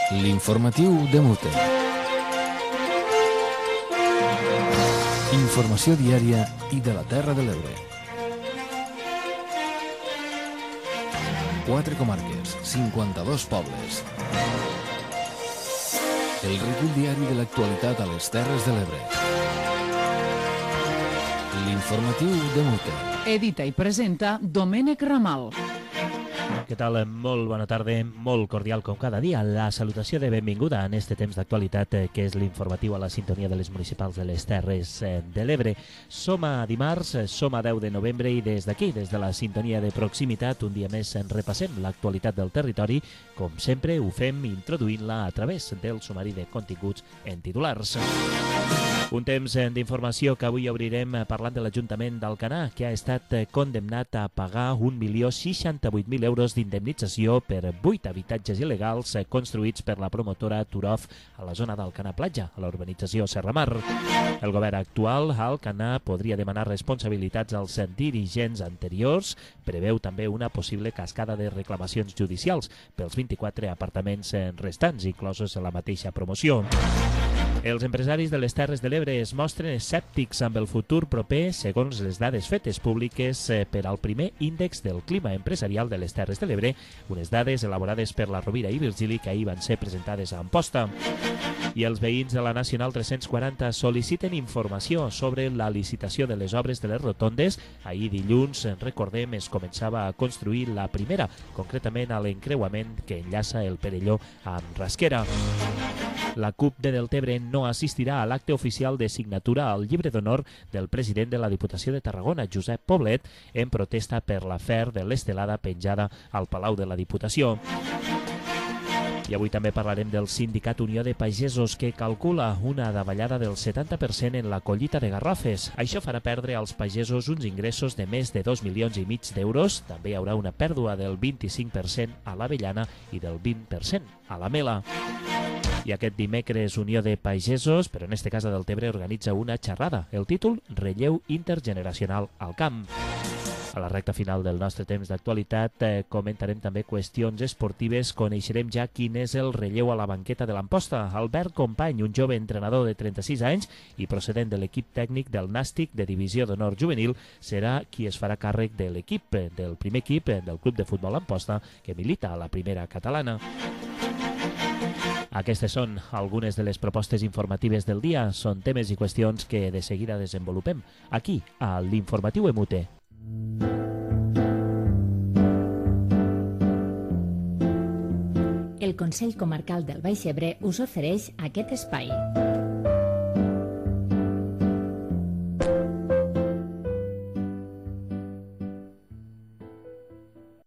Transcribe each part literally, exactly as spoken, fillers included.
L'informatiu de Mute. Informació diària i de la Terra de l'Ebre. Quatre comarques, cinquanta-dos pobles. El recull diari de l'actualitat a les Terres de l'Ebre. L'informatiu de Mute. Edita i presenta Domènec Ramal. Què tal? Molt bona tarda, molt cordial com cada dia. La salutació de benvinguda en este temps d'actualitat que és l'informatiu a la sintonia de les municipals de les Terres de l'Ebre. Som a dimarts, som a deu de novembre i des d'aquí, des de la sintonia de proximitat, un dia més en repassem l'actualitat del territori. Com sempre ho fem introduint-la a través del sumari de continguts en titulars. Un temps d'informació que avui obrirem parlant de l'Ajuntament d'Alcanar, que ha estat condemnat a pagar un milió seixanta-vuit mil euros d'indemnització per vuit habitatges il·legals construïts per la promotora Turov a la zona d'Alcanar Platja, a la urbanització Serramar. El govern actual a Alcanar podria demanar responsabilitats als dirigents anteriors. Preveu també una possible cascada de reclamacions judicials pels vint-i-quatre apartaments restants, inclosos en la mateixa promoció. Els empresaris de les Terres de l'Ebre es mostren escèptics amb el futur proper segons les dades fetes públiques per al primer índex del clima empresarial de les Terres de l'Ebre, unes dades elaborades per la Rovira i Virgili que ahir van ser presentades a Amposta. I els veïns de la Nacional tres-cents quaranta sol·liciten informació sobre la licitació de les obres de les rotondes. Ahir dilluns, recordem, es començava a construir la primera, concretament a l'encreuament que enllaça el Perelló amb Rasquera. La CUP de Deltebre no assistirà a l'acte oficial de signatura al llibre d'honor del president de la Diputació de Tarragona, Josep Poblet, en protesta per l'afer de l'estelada penjada al Palau de la Diputació. I avui també parlarem del Sindicat Unió de Pagesos, que calcula una davallada del setanta per cent en la collita de garrofes. Això farà perdre als pagesos uns ingressos de més de dos milions i mig d'euros. També hi haurà una pèrdua del vint-i-cinc per cent a l'avellana i del vint per cent a la mela. I aquest dimecres Unió de Pagesos, però en este cas a Deltebre, organitza una xerrada. El títol, Relleu intergeneracional al camp. A la recta final del nostre temps d'actualitat eh, comentarem també qüestions esportives. Coneixerem ja quin és el relleu a la banqueta de l'Amposta. Albert Company, un jove entrenador de trenta-sis anys i procedent de l'equip tècnic del Nàstic de Divisió d'Honor Juvenil, serà qui es farà càrrec de l'equip, del primer equip del Club de Futbol Amposta, que milita a la primera catalana. Aquestes són algunes de les propostes informatives del dia. Són temes i qüestions que de seguida desenvolupem aquí, a l'Informatiu Emute. El Consell Comarcal del Baix Ebre us ofereix aquest espai.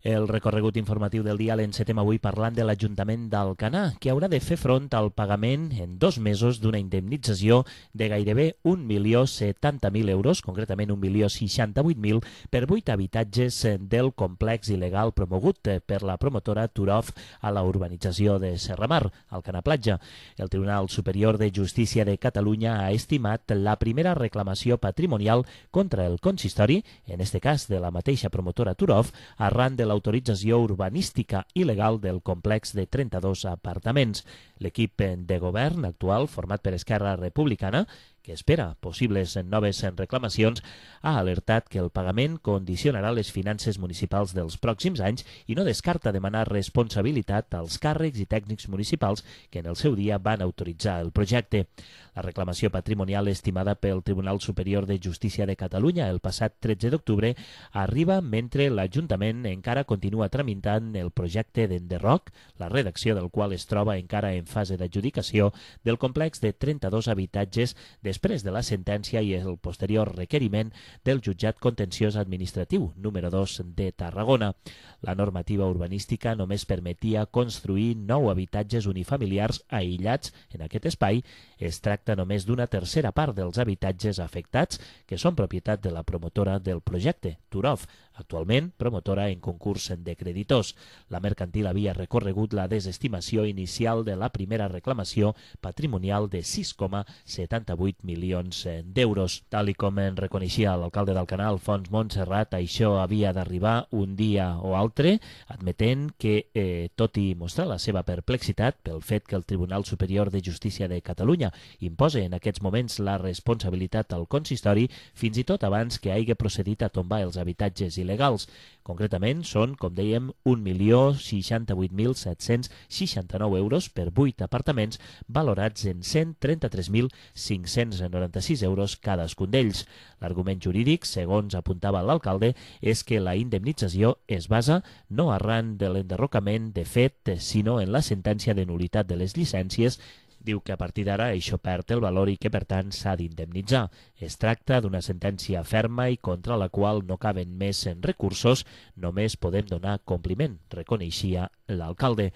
El recorregut informatiu del dia l'encetem avui parlant de l'Ajuntament d'Alcanar, que haurà de fer front al pagament en dos mesos d'una indemnització de gairebé un milió setanta mil euros, concretament un milió seixanta-vuit mil, per vuit habitatges del complex il·legal promogut per la promotora Turov a la urbanització de Serramar, Alcanar Platja. El Tribunal Superior de Justícia de Catalunya ha estimat la primera reclamació patrimonial contra el consistori, en este cas de la mateixa promotora Turov, arran de l'autorització urbanística il·legal del complex de trenta-dos apartaments. L'equip de govern actual, format per Esquerra Republicana, que espera possibles noves reclamacions, ha alertat que el pagament condicionarà les finances municipals dels pròxims anys i no descarta demanar responsabilitat als càrrecs i tècnics municipals que en el seu dia van autoritzar el projecte. La reclamació patrimonial estimada pel Tribunal Superior de Justícia de Catalunya el passat tretze d'octubre arriba mentre l'Ajuntament encara continua tramitant el projecte d'enderroc, la redacció del qual es troba encara en fase d'adjudicació, del complex de trenta-dos habitatges després de la sentència i el posterior requeriment del Jutjat Contenciós Administratiu número dos de Tarragona. La normativa urbanística només permetia construir nou habitatges unifamiliars aïllats en aquest espai. Es tracta només d'una tercera part dels habitatges afectats, que són propietat de la promotora del projecte, Turov, actualment promotora en concurs de creditors. La mercantil havia recorregut la desestimació inicial de la primera reclamació patrimonial de sis coma setanta-vuit milions d'euros. Tal i com en reconeixia l'alcalde d'Alcanar, Alfons Montserrat, això havia d'arribar un dia o altre, admetent que, eh, tot i mostrar la seva perplexitat pel fet que el Tribunal Superior de Justícia de Catalunya imposa en aquests moments la responsabilitat al consistori, fins i tot abans que hagi procedit a tombar els habitatges il·legals. Concretament, són, com dèiem, un milió seixanta-vuit mil set-cents seixanta-nou euros per vuit apartaments valorats en cent trenta-tres mil cinc-cents noranta-sis euros cadascun d'ells. L'argument jurídic, segons apuntava l'alcalde, és que la indemnització es basa no arran de l'enderrocament de fet, sinó en la sentència de nul·litat de les llicències. Diu que a partir d'ara això perd el valor i que, per tant, s'ha d'indemnitzar. Es tracta d'una sentència ferma i contra la qual no caben més recursos, només podem donar compliment, reconeixia l'alcalde.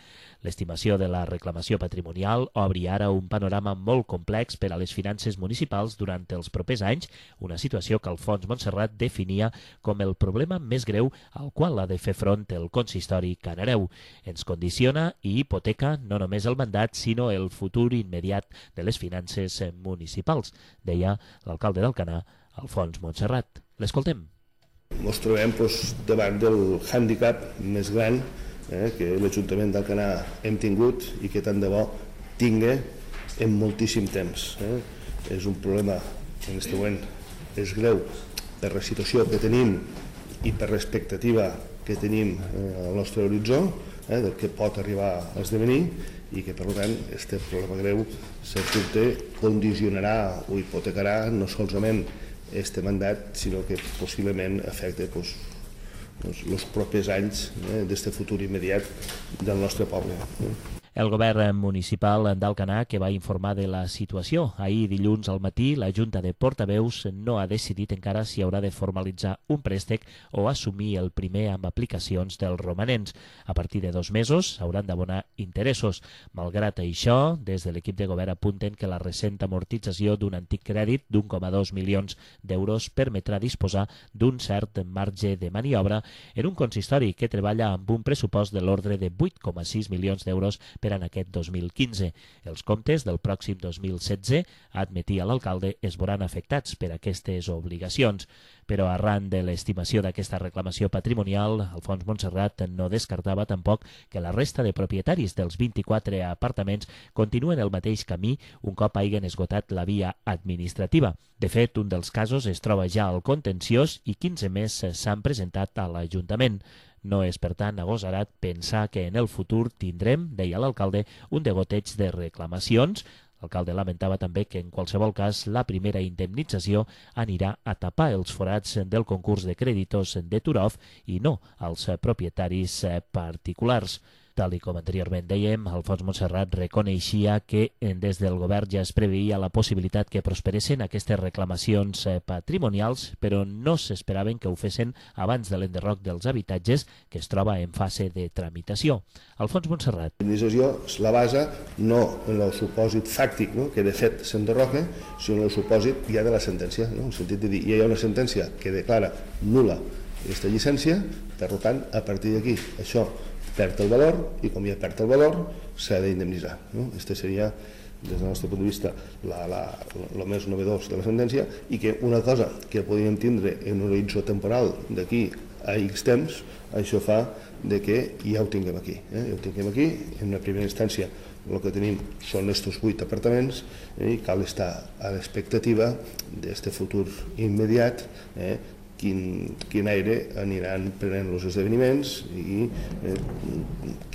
L'estimació de la reclamació patrimonial obri ara un panorama molt complex per a les finances municipals durant els propers anys, una situació que Alfons Montserrat definia com el problema més greu al qual ha de fer front el consistori canareu. Ens condiciona i hipoteca no només el mandat, sinó el futur immediat de les finances municipals, deia l'alcalde d'Alcanar, Alfons Montserrat. L'escoltem. Ens trobem doncs, davant del hàndicap més gran eh, que l'Ajuntament d'Alcanar hem tingut i que tant de bo tingui en moltíssim temps. Eh. És un problema que en aquest moment és greu per la situació que tenim i per l'expectativa que tenim eh, al nostre horitzó, eh, del que pot arribar a esdevenir, i que, per tant, aquest problema greu sens dubte condicionarà o hipotecarà no solament aquest mandat, sinó que possiblement afecta doncs, els propers anys eh, d'aquest futur immediat del nostre poble. Eh. El govern municipal d'Alcanar, que va informar de la situació ahir dilluns al matí, la Junta de Portaveus no ha decidit encara si haurà de formalitzar un préstec o assumir el primer amb aplicacions dels romanents. A partir de dos mesos s'hauran d'abonar interessos. Malgrat això, des de l'equip de govern apunten que la recent amortització d'un antic crèdit d'un coma dos milions d'euros permetrà disposar d'un cert marge de maniobra en un consistori que treballa amb un pressupost de l'ordre de vuit coma sis milions d'euros per en aquest dos mil quinze. Els comptes del pròxim dos mil setze, admetia l'alcalde, es veuran afectats per aquestes obligacions. Però arran de l'estimació d'aquesta reclamació patrimonial, Alfons Montserrat no descartava tampoc que la resta de propietaris dels vint-i-quatre apartaments continuen el mateix camí un cop hagin esgotat la via administrativa. De fet, un dels casos es troba ja al contenciós i quinze més s'han presentat a l'Ajuntament. No és, per tant, agosarat pensar que en el futur tindrem, deia l'alcalde, un degoteig de reclamacions. L'alcalde lamentava també que, en qualsevol cas, la primera indemnització anirà a tapar els forats del concurs de creditors de Turov i no als propietaris particulars. Tal i com anteriorment dèiem, Alfons Montserrat reconeixia que des del govern ja es preveia la possibilitat que prosperessin aquestes reclamacions patrimonials, però no s'esperaven que ho fessin abans de l'enderroc dels habitatges, que es troba en fase de tramitació. Alfons Montserrat. La indemnització la basa no en el supòsit fàctic, no? que de fet s'enderroca, sinó en el supòsit ja de la sentència. No? En el sentit de dir, ja hi ha una sentència que declara nul·la aquesta llicència, per tant, a partir d'aquí, això perd el valor i com ja perd el valor s'ha d'indemnitzar. No? Este seria, des del nostre punt de vista, el més novedós de la sentència i que una cosa que podríem tindre en un horitzó temporal d'aquí a X temps, això fa de que ja ho tinguem aquí. Eh? Ja ho tinguem aquí, en una primera instància el que tenim són estos vuit apartaments eh? i cal estar a l'expectativa d'aquest futur immediat, eh? Quin, quin aire aniran prenent els esdeveniments i eh,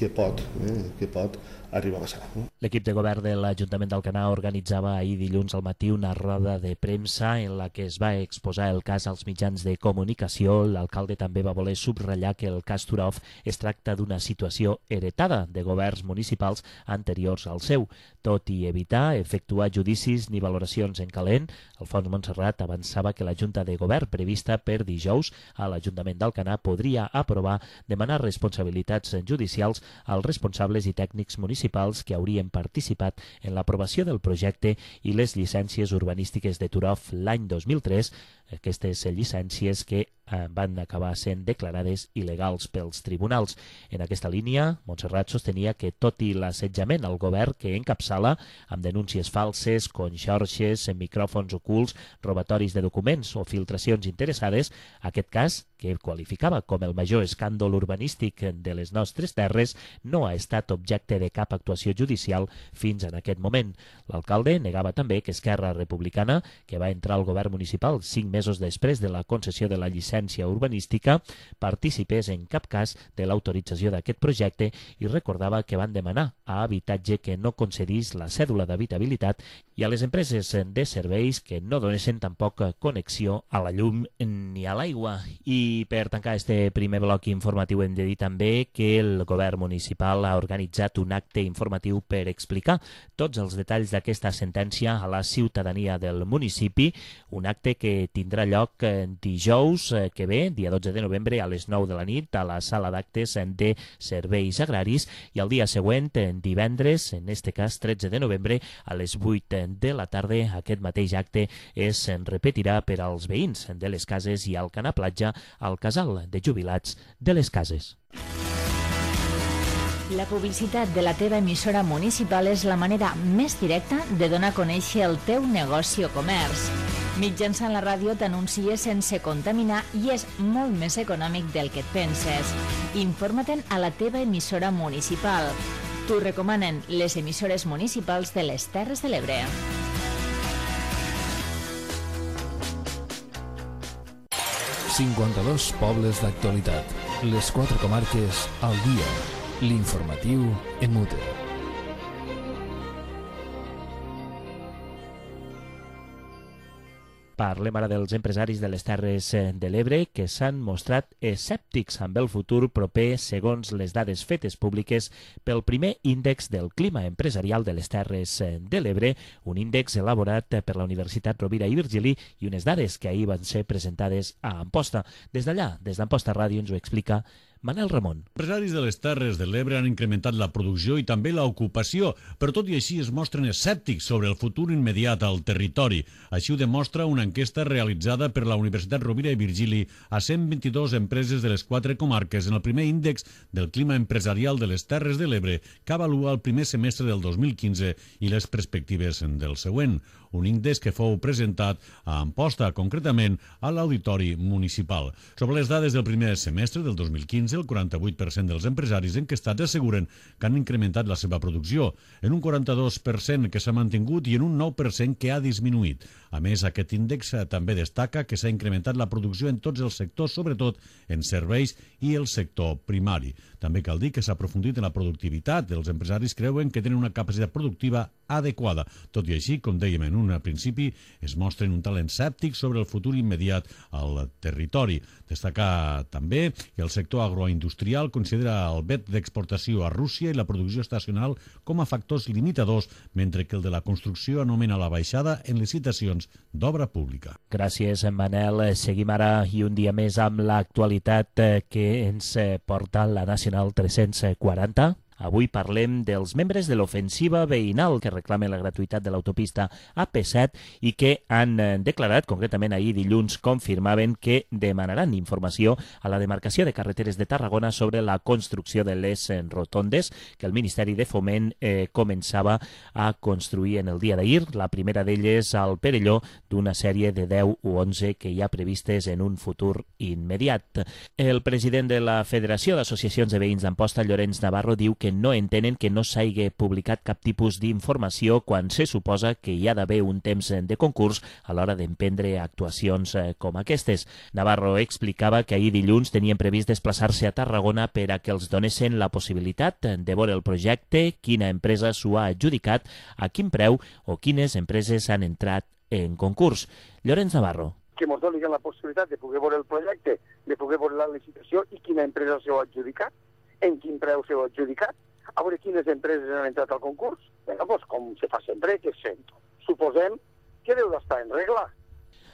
què pot, eh, què pot arribar a passar. No? L'equip de govern de l'Ajuntament d'Alcanar organitzava ahir dilluns al matí una roda de premsa en la que es va exposar el cas als mitjans de comunicació. L'alcalde també va voler subratllar que el cas Turov es tracta d'una situació heretada de governs municipals anteriors al seu. Tot i evitar efectuar judicis ni valoracions en calent, Alfons Montserrat avançava que la Junta de Govern prevista per dijous a l'Ajuntament d'Alcanar podria aprovar demanar responsabilitats judicials als responsables i tècnics municipals que haurien participat en l'aprovació del projecte i les llicències urbanístiques de Turov l'any dos mil tres, aquestes llicències que eh, van acabar sent declarades il·legals pels tribunals. En aquesta línia, Montserrat sostenia que tot i l'assetjament al govern que encapçala amb denúncies falses, conxorxes, micròfons ocults, robatoris de documents o filtracions interessades, aquest cas, que qualificava com el major escàndol urbanístic de les nostres terres, no ha estat objecte de cap actuació judicial fins en aquest moment. L'alcalde negava també que Esquerra Republicana, que va entrar al govern municipal cinc mesos després de la concessió de la llicència urbanística, participés en cap cas de l'autorització d'aquest projecte i recordava que van demanar a Habitatge que no concedís la cèdula d'habitabilitat i a les empreses de serveis que no donessin tampoc connexió a la llum ni a l'aigua. I per tancar este primer bloc informatiu hem de dir també que el govern municipal ha organitzat un acte informatiu per explicar tots els detalls d'aquesta sentència a la ciutadania del municipi, un acte que tindrà lloc dijous que ve, dia dotze de novembre, a les nou de la nit, a la sala d'actes de serveis agraris, i el dia següent, divendres, en este cas tretze de novembre, a les vuit de la tarda, aquest mateix acte es repetirà per als veïns de les cases i al Canà Platja, al casal de jubilats de les cases. La publicitat de la teva emissora municipal és la manera més directa de donar a conèixer el teu negoci o comerç. Mitjançant la ràdio t'anuncies sense contaminar i és molt més econòmic del que et penses. Informa-te'n a la teva emissora municipal. T'ho recomanen les emissores municipals de les Terres de l'Ebre. cinquanta-dos pobles d'actualitat. Les quatre comarques al dia. L'informatiu en mute. Parlem ara dels empresaris de les Terres de l'Ebre que s'han mostrat escèptics amb el futur proper segons les dades fetes públiques pel primer índex del clima empresarial de les Terres de l'Ebre, un índex elaborat per la Universitat Rovira i Virgili i unes dades que ahir van ser presentades a Amposta. Des d'allà, des d'Amposta Ràdio, ens ho explica Manel Ramon. Empresaris de les Terres de l'Ebre han incrementat la producció i també l'ocupació, però tot i així es mostren escèptics sobre el futur immediat al territori. Així ho demostra una enquesta realitzada per la Universitat Rovira i Virgili a cent vint-i-dos empreses de les quatre comarques en el primer índex del clima empresarial de les Terres de l'Ebre, que avalua el primer semestre del dos mil quinze i les perspectives del següent. Un índex que fou presentat a Amposta, concretament a l'Auditori Municipal. Sobre les dades del primer semestre del dos mil quinze, el quaranta-vuit per cent dels empresaris enquestats asseguren que han incrementat la seva producció, en un quaranta-dos per cent que s'ha mantingut i en un nou per cent que ha disminuït. A més, aquest índex també destaca que s'ha incrementat la producció en tots els sectors, sobretot en serveis i el sector primari. També cal dir que s'ha aprofundit en la productivitat. Els empresaris creuen que tenen una capacitat productiva adequada. Tot i així, com dèiem en un principi, es mostren un talent escèptic sobre el futur immediat al territori. Destacar també que el sector agroindustrial considera el vet d'exportació a Rússia i la producció estacional com a factors limitadors, mentre que el de la construcció anomena la baixada en licitacions d'obra pública. Gràcies, Manel. Seguim ara i un dia més amb l'actualitat que ens porta la Nacional tres-cents quaranta. Avui parlem dels membres de l'ofensiva veïnal que reclamen la gratuïtat de l'autopista A P set i que han declarat, concretament ahir dilluns, confirmaven que demanaran informació a la demarcació de carreteres de Tarragona sobre la construcció de les rotondes que el Ministeri de Foment eh, començava a construir en el dia d'ahir. La primera d'elles al Perelló, d'una sèrie de deu o onze que hi ha previstes en un futur immediat. El president de la Federació d'Associacions de Veïns d'Amposta, Llorenç Navarro, diu que no entenen que no s'hagi publicat cap tipus d'informació quan se suposa que hi ha d'haver un temps de concurs a l'hora d'emprendre actuacions com aquestes. Navarro explicava que ahir dilluns tenien previst desplaçar-se a Tarragona per a que els donessin la possibilitat de veure el projecte, quina empresa s'ho ha adjudicat, a quin preu o quines empreses han entrat en concurs. Llorenç Navarro. Que ens donin la possibilitat de poder veure el projecte, de poder veure la licitació i quina empresa s'ho ha adjudicat, en quin preu s'ho ha adjudicat, a veure quines empreses han entrat al concurs. Vinga, doncs, com se fa sempre, que se, suposem que deu d'estar en regla.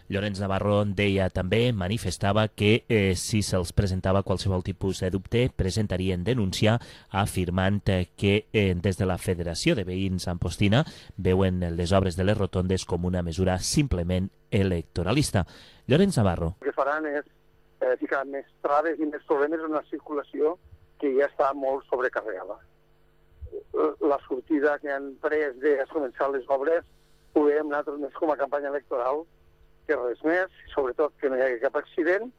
Llorenç Navarro deia també, manifestava que eh, si se'ls presentava qualsevol tipus de dubte, presentarien denúncia, afirmant que eh, des de la Federació de Veïns Ampostina veuen les obres de les rotondes com una mesura simplement electoralista. Llorenç Navarro. El que faran és eh, ficar més traves i més problemes en una circulació que ja està molt sobrecarregada. La sortida que han pres de començar les obres ho veiem nosaltres més com a campanya electoral que res més, sobretot que no hi hagi cap accident,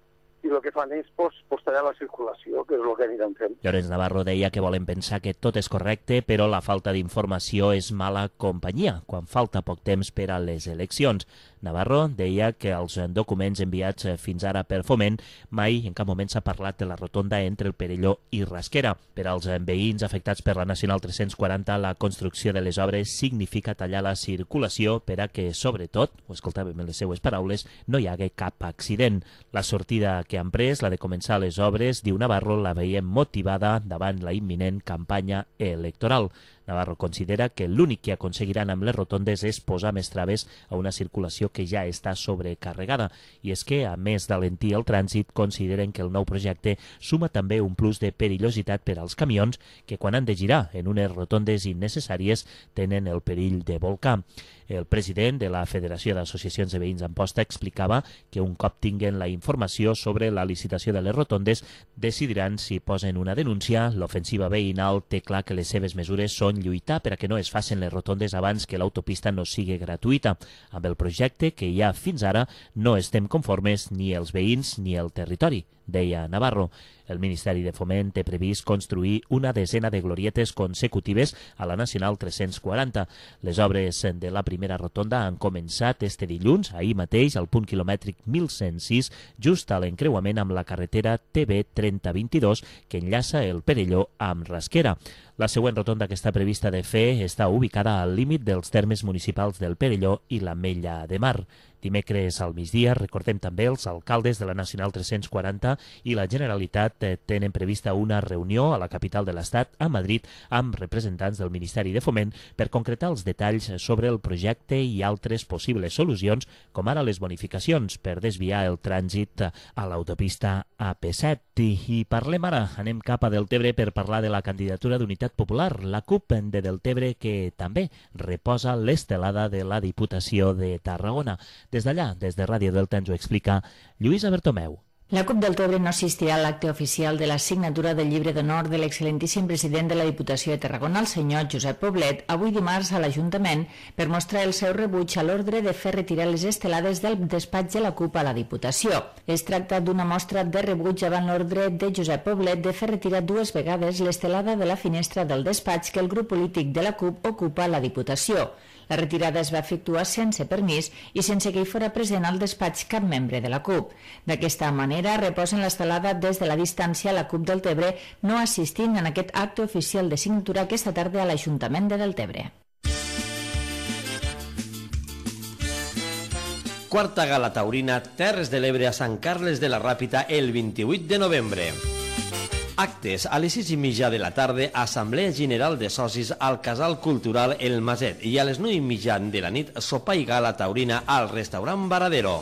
i el que fan és posterior la circulació, que és el que aniran fent. Llorenç Navarro deia que volen pensar que tot és correcte, però la falta d'informació és mala companyia, quan falta poc temps per a les eleccions. Navarro deia que els documents enviats fins ara per Foment mai en cap moment s'ha parlat de la rotonda entre el Perelló i Rasquera. Per als veïns afectats per la Nacional tres-cents quaranta, la construcció de les obres significa tallar la circulació per a que, sobretot, ho escoltàvem en les seues paraules, no hi hagi cap accident. La sortida que han pres, la de començar les obres, diu Navarro, la veiem motivada davant la imminent campanya electoral. Navarro considera que l'únic que aconseguiran amb les rotondes és posar més traves a una circulació que ja està sobrecarregada. I és que, a més d'alentir el trànsit, consideren que el nou projecte suma també un plus de perillositat per als camions que, quan han de girar en unes rotondes innecessàries, tenen el perill de volcar. El president de la Federació d'Associacions de Veïns Amposta explicava que un cop tinguen la informació sobre la licitació de les rotondes, decidiran si posen una denúncia. L'ofensiva veïnal té clar que les seves mesures són lluitar per a que no es facin les rotondes abans que l'autopista no sigui gratuïta. Amb el projecte que hi ha fins ara no estem conformes ni els veïns ni el territori, deia Navarro. El Ministeri de Foment té previst construir una desena de glorietes consecutives a la Nacional tres-cents quaranta. Les obres de la primera rotonda han començat este dilluns, ahir mateix, al punt quilomètric mil cent sis, just a l'encreuament amb la carretera T B trenta vint-i-dos que enllaça el Perelló amb Rasquera. La següent rotonda que està prevista de fer està ubicada al límit dels termes municipals del Perelló i l'Ametlla de Mar. Dimecres al migdia, recordem també, els alcaldes de la Nacional tres-cents quaranta i la Generalitat tenen prevista una reunió a la capital de l'Estat, a Madrid, amb representants del Ministeri de Foment per concretar els detalls sobre el projecte i altres possibles solucions, com ara les bonificacions per desviar el trànsit a l'autopista A P set. I parlem ara, anem cap a Deltebre per parlar de la candidatura d'Unitat Popular, la CUP de Deltebre, que també reposa l'estelada de la Diputació de Tarragona. Des d'allà, des de Ràdio Delta, ens ho explica Lluïsa Bertomeu. La CUP Deltebre no assistirà a l'acte oficial de la signatura del llibre d'honor de l'excel·lentíssim president de la Diputació de Tarragona, el senyor Josep Poblet, avui dimarts a l'Ajuntament per mostrar el seu rebuig a l'ordre de fer retirar les estelades del despatx de la CUP a la Diputació. Es tracta d'una mostra de rebuig davant l'ordre de Josep Poblet de fer retirar dues vegades l'estelada de la finestra del despatx que el grup polític de la CUP ocupa a la Diputació. La retirada es va efectuar sense permís i sense que hi fora present al despatx cap membre de la CUP. D'aquesta manera, reposen l'estelada des de la distància a la CUP Deltebre, no assistint en aquest acte oficial de signatura aquesta tarda a l'Ajuntament de Deltebre. Quarta gala taurina Terres de l'Ebre a Sant Carles de la Ràpita el vint-i-vuit de novembre. Actes a les sis i mitja de la tarda, Assemblea General de Socis al Casal Cultural El Maset i a les nou i mitja de la nit, sopar i gala taurina al restaurant Varadero.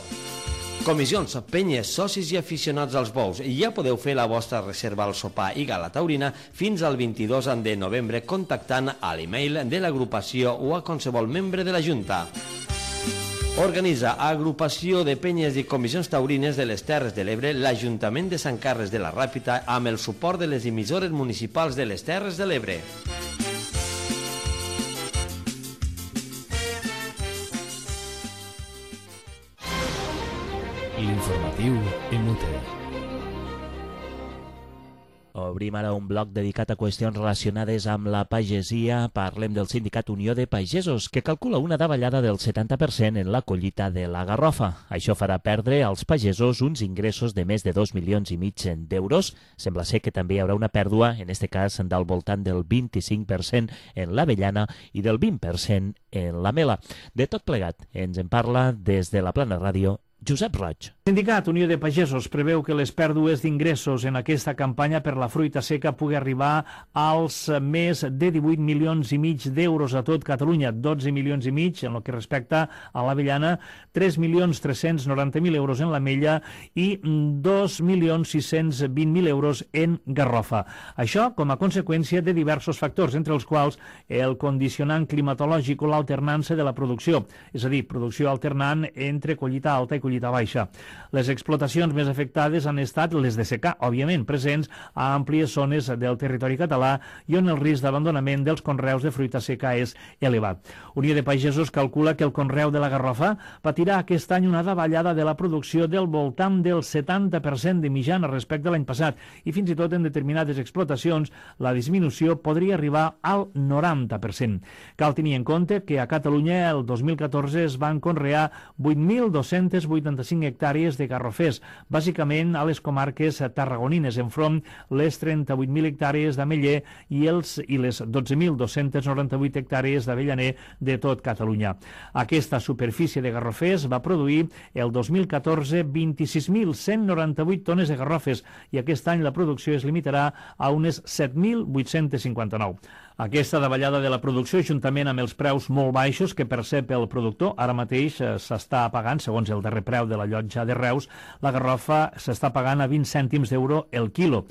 Comissions, penyes, socis i aficionats als bous. Ja podeu fer la vostra reserva al sopar i gala taurina fins al vint-i-dos de novembre contactant a l'email de l'agrupació o a qualsevol membre de la Junta. Organitza Agrupació de Penyes i Comissions Taurines de les Terres de l'Ebre l'Ajuntament de Sant Carles de la Ràpita amb el suport de les emissores municipals de les Terres de l'Ebre. L'informatiu en Mute. Obrim ara un bloc dedicat a qüestions relacionades amb la pagesia. Parlem del Sindicat Unió de Pagesos, que calcula una davallada del setanta per cent en la collita de la garrofa. Això farà perdre als pagesos uns ingressos de més de dos milions i mig d'euros. Sembla ser que també hi haurà una pèrdua, en aquest cas del voltant del vint-i-cinc per cent en l'avellana i del vint per cent en la mela. De tot plegat, ens en parla des de la Plana Ràdio Josep Roig. El Sindicat Unió de Pagesos preveu que les pèrdues d'ingressos en aquesta campanya per la fruita seca pugui arribar als més de divuit milions i mig d'euros a tot Catalunya, dotze milions i mig en el que respecta a l'avellana, tres milions tres-cents noranta mil euros en l'ametlla i dos milions sis-cents vint mil euros en garrofa. Això com a conseqüència de diversos factors, entre els quals el condicionant climatològic o l'alternança de la producció, és a dir, producció alternant entre collita alta i collita baixa. Les explotacions més afectades han estat les de secà, òbviament, presents a àmplies zones del territori català i on el risc d'abandonament dels conreus de fruita seca és elevat. Unió de Pagesos calcula que el conreu de la garrofa patirà aquest any una davallada de la producció del voltant del setanta per cent de mitjana respecte a l'any passat i fins i tot en determinades explotacions la disminució podria arribar al noranta per cent. Cal tenir en compte que a Catalunya el dos mil catorze es van conrear vuit mil dos-cents vuitanta-cinc hectàrees de garrofers, bàsicament a les comarques tarragonines, enfront les trenta-vuit mil hectàrees d'ametller i, els, i les dotze mil dos-cents noranta-vuit hectàrees d'avellaner de tot Catalunya. Aquesta superfície de garrofers va produir el dos mil catorze vint-i-sis mil cent noranta-vuit tones de garrofes i aquest any la producció es limitarà a unes set mil vuit-cents cinquanta-nou. Aquesta davallada de la producció, juntament amb els preus molt baixos que percep el productor, ara mateix s'està pagant, segons el darrer preu de la llotja de Reus, la garrofa s'està pagant a vint cèntims d'euro el quilo.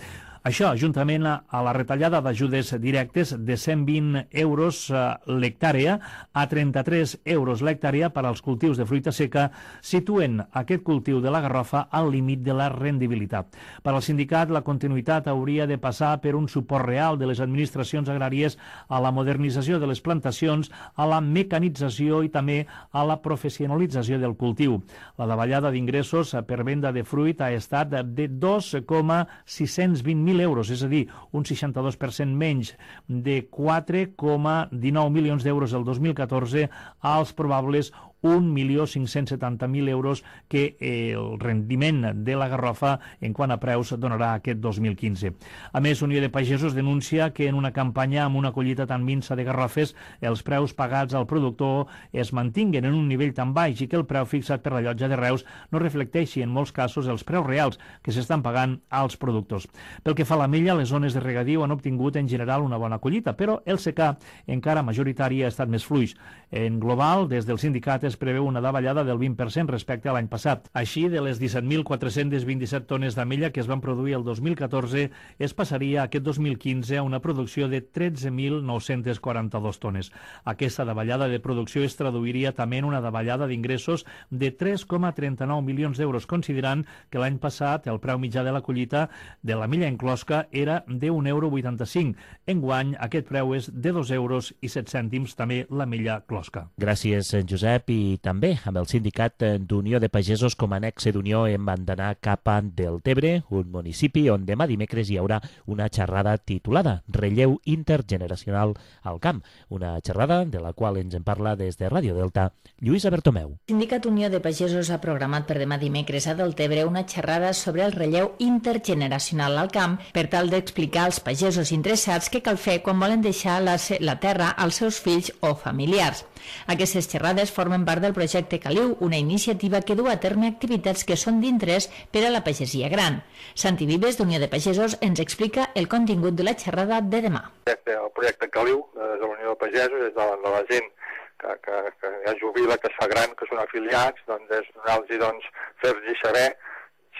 Això, juntament a la retallada d'ajudes directes de cent vint euros l'hectàrea a trenta-tres euros l'hectàrea per als cultius de fruita seca, situen aquest cultiu de la garrofa al límit de la rendibilitat. Per al sindicat, la continuïtat hauria de passar per un suport real de les administracions agràries a la modernització de les plantacions, a la mecanització i també a la professionalització del cultiu. La davallada d'ingressos per venda de fruit ha estat de dos coma sis-cents vint mil euros, és a dir, un seixanta-dos per cent menys, de quatre coma dinou milions d'euros el dos mil catorze als probables un milió cinc-cents setanta mil euros que el rendiment de la garrofa en quant a preus donarà aquest dos mil quinze. A més, Unió de Pagesos denuncia que en una campanya amb una collita tan minsa de garrofes els preus pagats al productor es mantinguen en un nivell tan baix i que el preu fixat per la llotja de Reus no reflecteixi en molts casos els preus reals que s'estan pagant als productors. Pel que fa a l'ametlla, les zones de regadiu han obtingut en general una bona collita, però el secà encara majoritari ha estat més fluix. En global, des del sindicat es preveu una davallada del vint per cent respecte a l'any passat. Així, de les disset mil quatre-cents vint-i-set tones d'ametlla que es van produir el dos mil catorze, es passaria aquest dos mil quinze a una producció de tretze mil nou-cents quaranta-dos tones. Aquesta davallada de producció es traduiria també en una davallada d'ingressos de tres coma trenta-nou milions d'euros, considerant que l'any passat el preu mitjà de la collita de l'ametlla en closca era d'un euro vuitanta-cinc. Enguany, aquest preu és de dos euros i set cèntims, també l'ametlla closca. Gràcies, Josep. I també amb el sindicat d'Unió de Pagesos com a nexe d'unió hem d'anar cap a Deltebre, un municipi on demà dimecres hi haurà una xerrada titulada Relleu intergeneracional al camp, una xerrada de la qual ens en parla des de Ràdio Delta Lluïsa Bertomeu. El Sindicat Unió de Pagesos ha programat per demà dimecres a Deltebre una xerrada sobre el relleu intergeneracional al camp per tal d'explicar als pagesos interessats què cal fer quan volen deixar la, la terra als seus fills o familiars. Aquestes xerrades formen part del projecte Caliu, una iniciativa que du a terme activitats que són d'interès per a la pagesia gran. Santi Vives, d'Unió de Pagesos, ens explica el contingut de la xerrada de demà. El projecte Caliu, de la Unió de Pagesos, és de la, de la gent que, que, que ja jubila, que es fa gran, que són afiliats, doncs és donar-los doncs, fer-los saber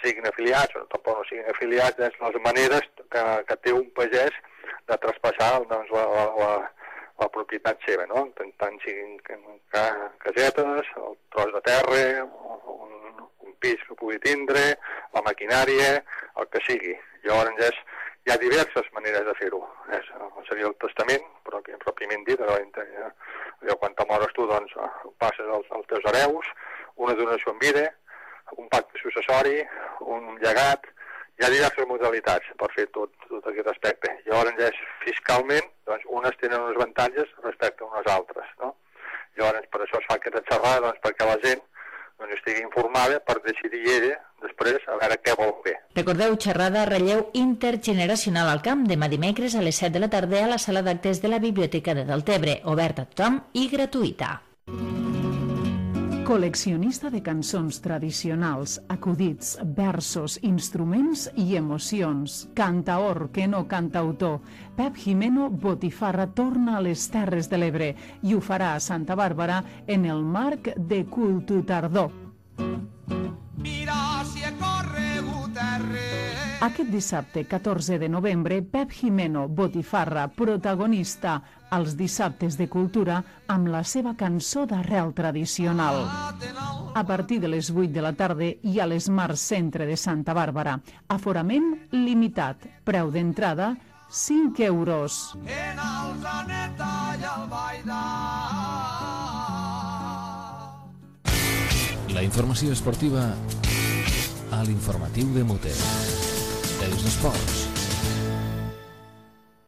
siguin afiliats o tampoc no siguin afiliats, és les maneres que, que té un pagès de traspassar doncs, la, la, la, la propietat seva, no? Tant, tant siguin casetes, el tros de terra, un, un pis que pugui tindre, la maquinària, el que sigui. Llavors és, hi ha diverses maneres de fer-ho. Seria el testament, però que pròpiament dit, allò, quan te mores tu, doncs passes als, als teus hereus, una donació en vida, un pacte successori, un llegat. Hi ha diverses modalitats per fer tot, tot aquest aspecte. Llavors, és, fiscalment, doncs, unes tenen uns avantatges respecte a unes altres, no? Llavors, per això es fa aquesta xerrada, doncs, perquè la gent doncs, estigui informada per decidir ella, després, a veure què vol fer. Recordeu, xerrada Relleu intergeneracional al camp, demà dimecres a les set de la tarda a la sala d'actes de la Biblioteca de Deltebre, oberta a tothom i gratuïta. Col·leccionista de cançons tradicionals, acudits, versos, instruments i emocions. Cantaor, que no cantautor. Pep Jimeno Botifarra torna a les Terres de l'Ebre i ho farà a Santa Bàrbara en el marc de Cultu Tardor. Mira si he corregut terra. Aquest dissabte, catorze de novembre, Pep Jimeno Botifarra, protagonista als dissabtes de cultura amb la seva cançó d'arrel tradicional. a partir de les vuit de la tarda i a l'Smart Centre de Santa Bàrbara. Aforament limitat. Preu d'entrada cinc euros. En Alzaneta i Albaida. La informació esportiva a l'informatiu de Mute. Els esports.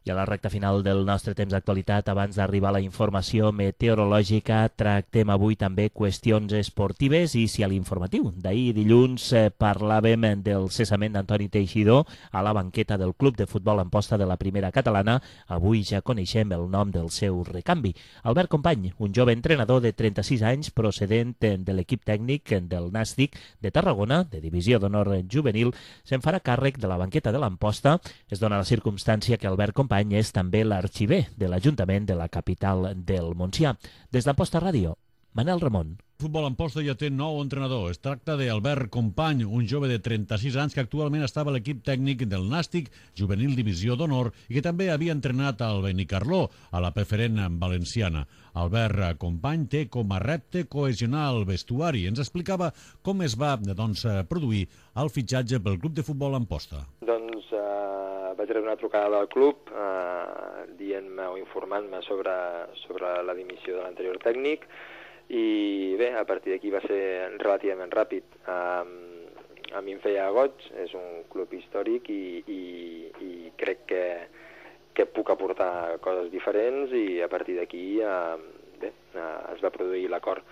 I a la recta final del nostre temps d'actualitat, abans d'arribar a la informació meteorològica, tractem avui també qüestions esportives i si a l'informatiu d'ahir dilluns eh, parlàvem del cessament d'Antoni Teixidor a la banqueta del Club de Futbol Amposta de la Primera Catalana, avui ja coneixem el nom del seu recanvi. Albert Company, un jove entrenador de trenta-sis anys procedent de l'equip tècnic del Nàstic de Tarragona, de Divisió d'Honor Juvenil, se'n farà càrrec de la banqueta de l'Amposta. Es dona la circumstància que Albert Company és també l'arxiver de l'Ajuntament de la capital del Montsià. Des d'Amposta Ràdio, Manel Ramon. Futbol Amposta ja té nou entrenador. Es tracta d'Albert Company, un jove de trenta-sis anys que actualment estava a l'equip tècnic del Nàstic Juvenil Divisió d'Honor i que també havia entrenat al Benicarló, a la preferent valenciana. Albert Company té com a repte cohesionar el vestuari. Ens explicava com es va doncs, produir el fitxatge pel Club de Futbol Amposta. Doncs eh, vaig rebre una trucada del club eh, dient-me o informant-me sobre, sobre la dimissió de l'anterior tècnic. I bé, a partir d'aquí va ser relativament ràpid. Um, a mi em feia goig, és un club històric i, i, i crec que, que puc aportar coses diferents i a partir d'aquí uh, bé, uh, es va produir l'acord.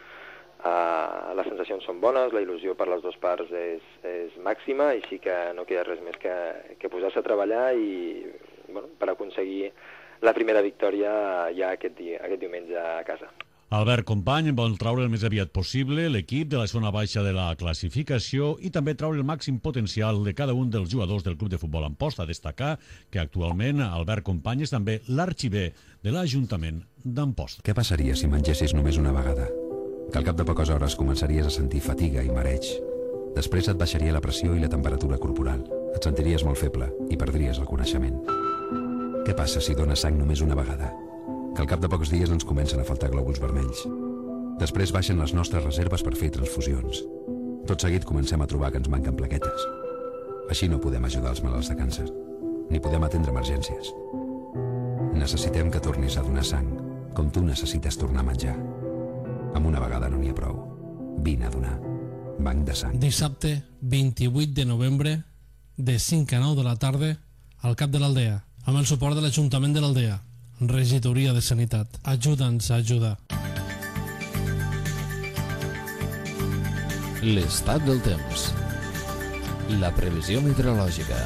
Uh, les sensacions són bones, la il·lusió per les dues parts és, és màxima i sí que no queda res més que, que posar-se a treballar i bueno, per aconseguir la primera victòria ja aquest, dia, aquest diumenge a casa. Albert Company vol traure el més aviat possible l'equip de la zona baixa de la classificació i també traure el màxim potencial de cada un dels jugadors del Club de Futbol Amposta. Destacar que actualment Albert Company és també l'arxiver de l'Ajuntament d'Amposta. Què passaria si mengessis només una vegada? Que al cap de poques hores començaries a sentir fatiga i mareig. Després et baixaria la pressió i la temperatura corporal. Et sentiries molt feble i perdries el coneixement. Què passa si dones sang només una vegada? Que al cap de pocs dies ens comencen a faltar glòbuls vermells. Després baixen les nostres reserves per fer transfusions. Tot seguit comencem a trobar que ens manquen plaquetes. Així no podem ajudar els malalts de càncer, ni podem atendre emergències. Necessitem que tornis a donar sang, com tu necessites tornar a menjar. Amb una vegada no n'hi ha prou. Vine a donar. Banc de sang. Dissabte, vint-i-vuit de novembre, de cinc a nou de la tarda, al cap de l'Aldea, amb el suport de l'Ajuntament de l'Aldea. Regidoria de Sanitat. Ajuda'ns a ajudar. L'estat del temps. La previsió meteorològica.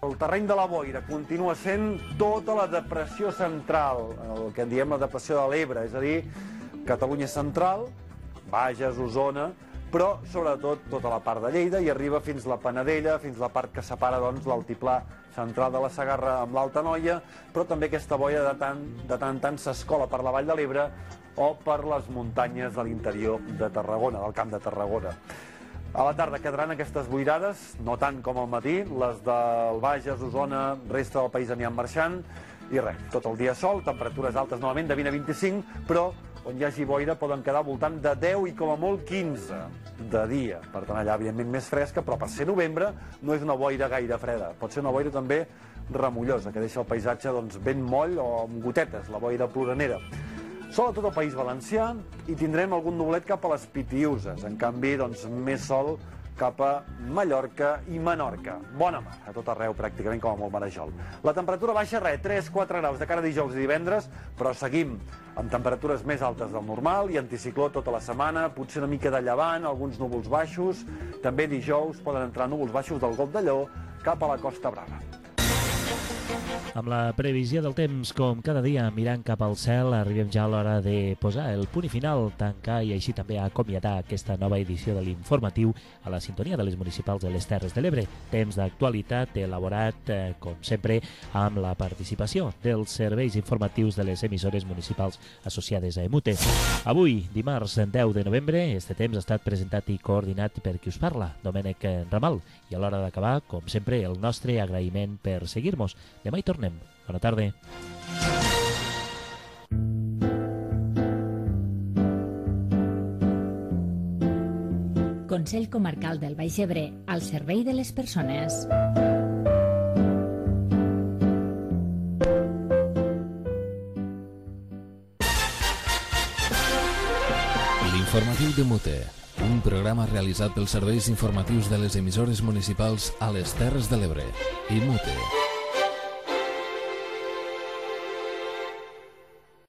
El terreny de la boira continua sent tota la depressió central, el que en diem la depressió de l'Ebre, és a dir, Catalunya central, Bages, Osona, però sobretot tota la part de Lleida i arriba fins la Panadella, fins la part que separa doncs, l'altiplà central de la Segarra amb l'Alta Noia, però també aquesta boira de tant de tant, tant s'escola per la Vall de l'Ebre o per les muntanyes de l'interior de Tarragona, del Camp de Tarragona. A la tarda quedaran aquestes boirades, no tant com al matí, les del Bages, Osona, resta del país aniran marxant, i res, tot el dia sol, temperatures altes novament de vint a vint-i-cinc, però on hi hagi boira poden quedar al voltant de deu i com a molt quinze de dia. Per tant, allà, evidentment, més fresca, però per ser novembre no és una boira gaire freda. Pot ser una boira també remullosa, que deixa el paisatge doncs, ben moll o amb gotetes, la boira ploranera. Sol a tot el País Valencià i tindrem algun nublet cap a les Pitiüses. En canvi, doncs, més sol cap a Mallorca i Menorca. Bona mar, a tot arreu, pràcticament com a molt marejol. La temperatura baixa, res, tres a quatre graus de cara a dijous i divendres, però seguim amb temperatures més altes del normal i anticicló tota la setmana, potser una mica de llevant, alguns núvols baixos. També dijous poden entrar núvols baixos del Golf de Lleó cap a la Costa Brava. Amb la previsió del temps, com cada dia, mirant cap al cel, arribem ja a l'hora de posar el punt i final, tancar i així també acomiadar aquesta nova edició de l'informatiu a la sintonia de les municipals de les Terres de l'Ebre. Temps d'actualitat elaborat, eh, com sempre, amb la participació dels serveis informatius de les emissores municipals associades a Emute. Avui, dimarts deu de novembre, este temps ha estat presentat i coordinat per qui us parla, Domènec Ramal, i a l'hora d'acabar, com sempre, el nostre agraïment per seguir-nos. Demà hi tornem. Bona tarda. Consell Comarcal del Baix Ebre, al servei de les persones. L'informatiu de Mute, un programa realitzat pels serveis informatius de les emissores municipals a les Terres de l'Ebre i Mute.